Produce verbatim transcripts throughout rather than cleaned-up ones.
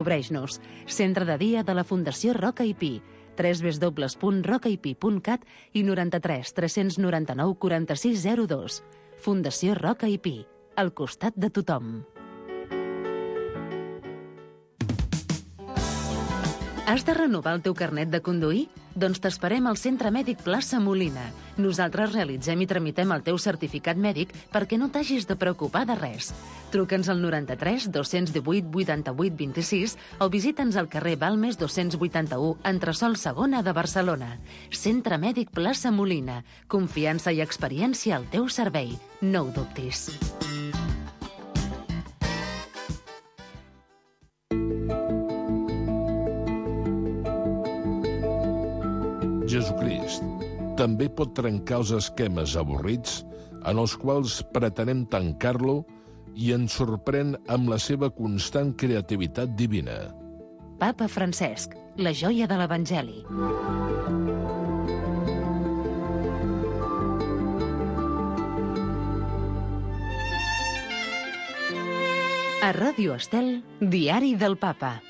Cobreix-nos. Centre de dia de la Fundació Roca i Pi. w w w punt roca i pi punt cat i noranta-tres tres noranta-nou quaranta-sis zero dos. Fundació Roca i Pi. Al costat de tothom. Has de renovar el teu carnet de conduir? Doncs t'esperem al Centre Mèdic Plaça Molina. Nosaltres realitzem i tramitem el teu certificat mèdic perquè no t'hagis de preocupar de res. Truca'ns al noranta-tres dos-cents divuit vuitanta-vuit vint-i-sis o visita'ns al carrer Balmes dos-cents vuitanta-u, entresòl segona de Barcelona. Centre Mèdic Plaça Molina. Confiança i experiència al teu servei. No ho dubtis. Jesucrist també pot trencar els esquemes avorrits en els quals pretenem tancar-lo i ens sorprèn amb la seva constant creativitat divina. Papa Francesc, la joia de l'Evangeli. A Ràdio Estel, Diari del Papa.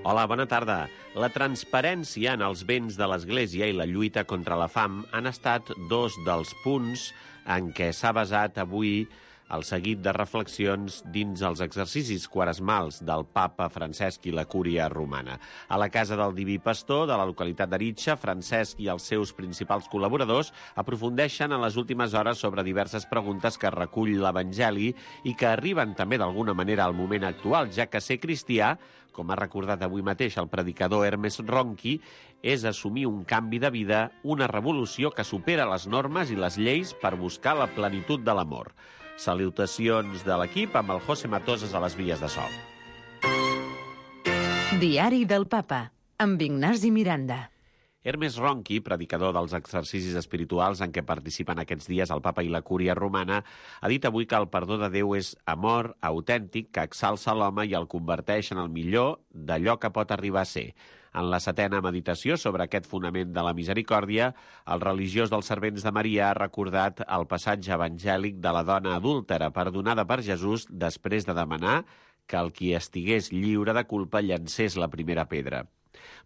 Hola, bona tarda. La transparència en els béns de l'Església i la lluita contra la fam han estat dos dels punts en què s'ha basat avui el seguit de reflexions dins els exercicis quaresmals del Papa Francesc i la Cúria Romana. A la Casa del Diví Pastor de la localitat d'Aritxa, Francesc i els seus principals col·laboradors aprofundeixen en les últimes hores sobre diverses preguntes que recull l'Evangeli i que arriben també d'alguna manera al moment actual, ja que ser cristià, com ha recordat avui mateix el predicador Hermes Ronchi, és assumir un canvi de vida, una revolució que supera les normes i les lleis per buscar la plenitud de l'amor. Salutacions de l'equip amb el José Matoses a les vies de so. Diari del Papa, amb Ignasi Miranda. Hermes Ronchi, predicador dels exercicis espirituals en què participen aquests dies el Papa i la Cúria Romana, ha dit avui que el perdó de Déu és amor autèntic que exalça l'home i el converteix en el millor d'allò que pot arribar a ser. En la setena meditació sobre aquest fonament de la misericòrdia, el religiós dels servents de Maria ha recordat el passatge evangèlic de la dona adúltera perdonada per Jesús després de demanar que el qui estigués lliure de culpa llancés la primera pedra.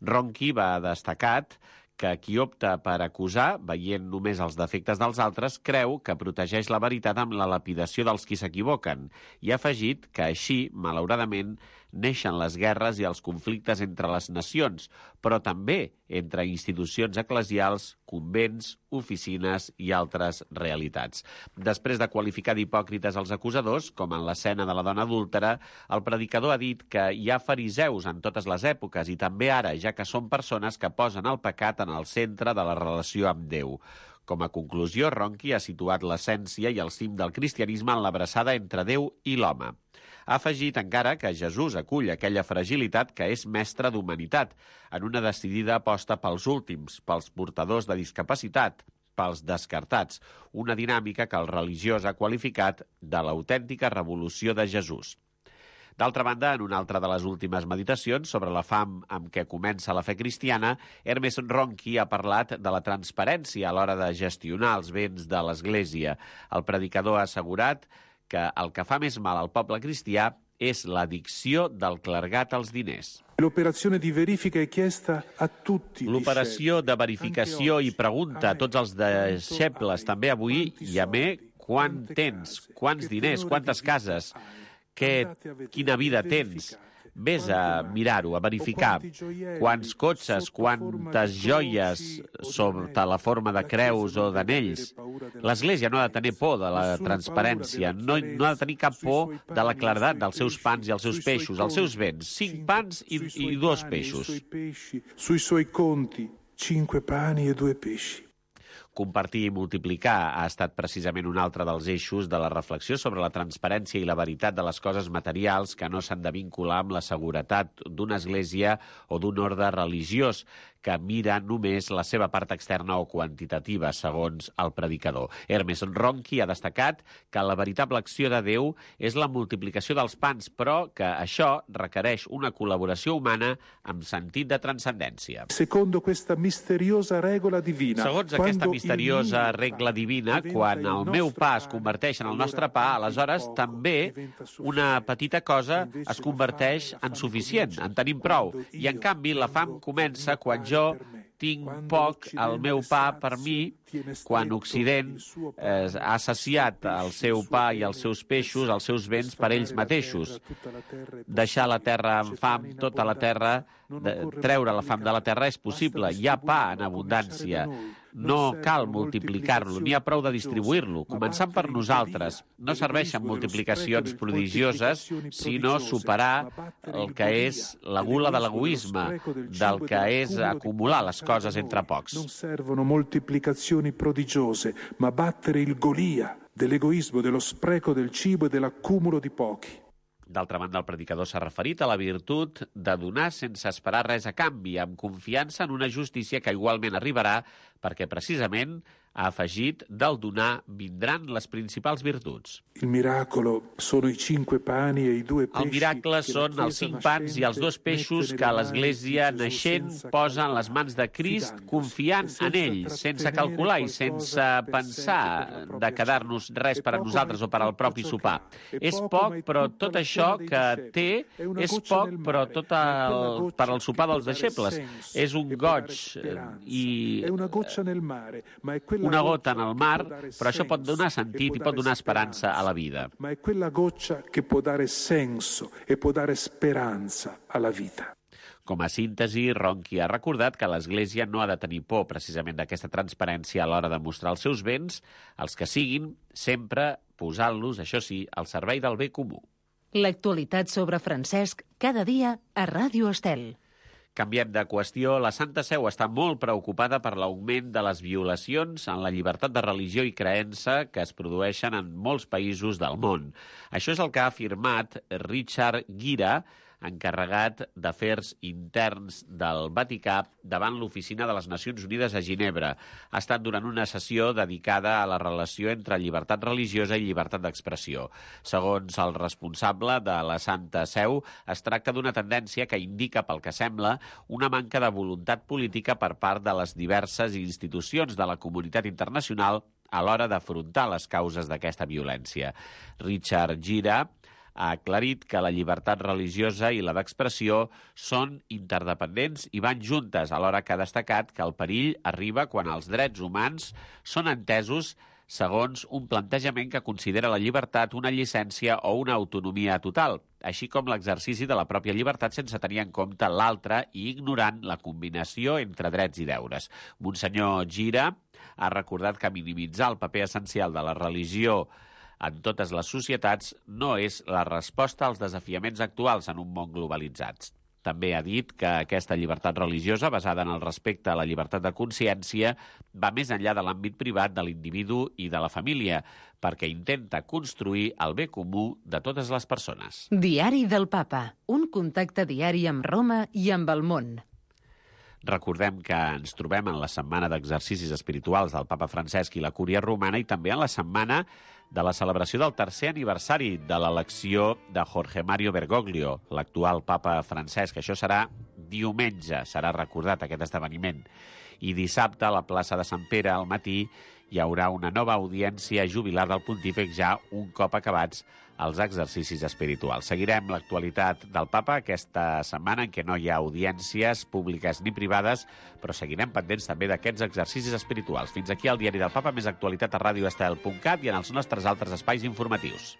Ronchi va destacat que qui opta per acusar, veient només els defectes dels altres, creu que protegeix la veritat amb la lapidació dels qui s'equivoquen, i ha afegit que així, malauradament, neixen les guerres i els conflictes entre les nacions, però també entre institucions eclesials, convents, oficines i altres realitats. Després de qualificar d'hipòcrites els acusadors, com en l'escena de la dona adúltera, el predicador ha dit que hi ha fariseus en totes les èpoques i també ara, ja que són persones que posen el pecat en el centre de la relació amb Déu. Com a conclusió, Ronchi ha situat l'essència i el cim del cristianisme en l'abraçada entre Déu i l'home. Ha afegit encara que Jesús acull aquella fragilitat que és mestre d'humanitat, en una decidida aposta pels últims, pels portadors de discapacitat, pels descartats, una dinàmica que el religiós ha qualificat de l'autèntica revolució de Jesús. D'altra banda, en una altra de les últimes meditacions sobre la fam amb què comença la fe cristiana, Hermes Ronchi ha parlat de la transparència a l'hora de gestionar els béns de l'Església. El predicador ha assegurat que el que fa més mal al poble cristià és l'addicció del clergat als diners. L'operazione di verifica è chiesta a tutti. L'operació de verificació i pregunta a tots els deixebles, també avui, i a mi, quant tens, quants diners, quantes cases, que, quina vida tens. Vés a mirar-ho, a verificar quants cotxes, quantes joies sota la forma de creus o d'anells. L'Església no ha de tenir por de la transparència, no, no ha de tenir cap por de la claredat dels seus pans i els seus peixos, els seus béns, cinc pans i, i dos peixos. Sui suoi conti, cinque pani e due pesci. Compartir i multiplicar ha estat precisament un altre dels eixos de la reflexió sobre la transparència i la veritat de les coses materials que no s'han de vincular amb la seguretat d'una església o d'un ordre religiós que mira només la seva part externa o quantitativa, segons el predicador. Hermes Ronchi ha destacat que la veritable acció de Déu és la multiplicació dels pans, però que això requereix una col·laboració humana amb sentit de transcendència. Secondo questa misteriosa regola divina, Segons aquesta misteriosa misteriosa regla divina, quan el meu pa es converteix en el nostre pa, aleshores també una petita cosa es converteix en suficient, en tenim prou. I, en canvi, la fam comença quan jo tinc poc el meu pa per mi, quan Occident eh, ha saciat el seu pa i els seus peixos, els seus béns per ells mateixos. Deixar la terra en fam, tota la terra, de, treure la fam de la terra és possible. Hi ha pa en abundància. No cal multiplicar-lo, n'hi ha prou de distribuir-lo, començant per nosaltres. No serveixen multiplicacions prodigioses, sinó superar el que és la gula de l'egoisme, del que és acumular les coses entre pocs. Non servono moltiplicazioni prodigiose, ma battere il Golia dell'egoismo, dello spreco del cibo e dell'accumulo di pochi. D'altra banda, el predicador s'ha referit a la virtut de donar sense esperar res a canvi, amb confiança en una justícia que igualment arribarà, perquè precisament ha afegit del donar vindran les principals virtuts. Il miracolo sono i cinque pani e i due pesci. El miracle són els cinc pans i els dos peixos que l'Església naixent posa en les mans de Crist, confiant en ell, sense calcular i sense pensar de quedar-nos res per a nosaltres o per al propi sopar. És poc, però tot això que té és poc, però tot el, per al sopar dels deixebles. És un goig i una gota en el mar, però això pot donar sentit i pot donar esperança a la vida. Ma è quella goccia che può dare senso e può dare speranza alla vita. Com a síntesi, Ronchi ha recordat que l'Església no ha de tenir por precisament d'aquesta transparència a l'hora de mostrar els seus béns, els que siguin, sempre posant-los, això sí, al servei del bé comú. L'actualitat sobre Francesc cada dia a Ràdio Estel. Canviem de qüestió. La Santa Seu està molt preocupada per l'augment de les violacions en la llibertat de religió i creença que es produeixen en molts països del món. Això és el que ha afirmat Richard Gira, encarregat d'Afers Interns del Vaticà davant l'Oficina de les Nacions Unides a Ginebra. Ha estat durant una sessió dedicada a la relació entre llibertat religiosa i llibertat d'expressió. Segons el responsable de la Santa Seu, es tracta d'una tendència que indica, pel que sembla, una manca de voluntat política per part de les diverses institucions de la comunitat internacional a l'hora d'afrontar les causes d'aquesta violència. Richard Gira ha aclarit que la llibertat religiosa i la d'expressió són interdependents i van juntes, alhora que ha destacat que el perill arriba quan els drets humans són entesos segons un plantejament que considera la llibertat una llicència o una autonomia total, així com l'exercici de la pròpia llibertat sense tenir en compte l'altra i ignorant la combinació entre drets i deures. Monsenyor Gira ha recordat que minimitzar el paper essencial de la religió en totes les societats no és la resposta als desafiaments actuals en un món globalitzat. També ha dit que aquesta llibertat religiosa, basada en el respecte a la llibertat de consciència, va més enllà de l'àmbit privat de l'individu i de la família, perquè intenta construir el bé comú de totes les persones. Diari del Papa, un contacte diari amb Roma i amb el món. Recordem que ens trobem en la setmana d'exercicis espirituals del Papa Francesc i la Cúria Romana i també en la setmana de la celebració del tercer aniversari de l'elecció de Jorge Mario Bergoglio, l'actual papa Francesc. Això serà diumenge, serà recordat aquest esdeveniment. I dissabte, a la plaça de Sant Pere, al matí, hi haurà una nova audiència jubilar del pontífex ja un cop acabats els exercicis espirituals. Seguirem l'actualitat del papa aquesta setmana en què no hi ha audiències públiques ni privades, però seguirem pendents també d'aquests exercicis espirituals. Fins aquí el Diari del Papa, més actualitat a radio estel punt cat i en els nostres altres espais informatius.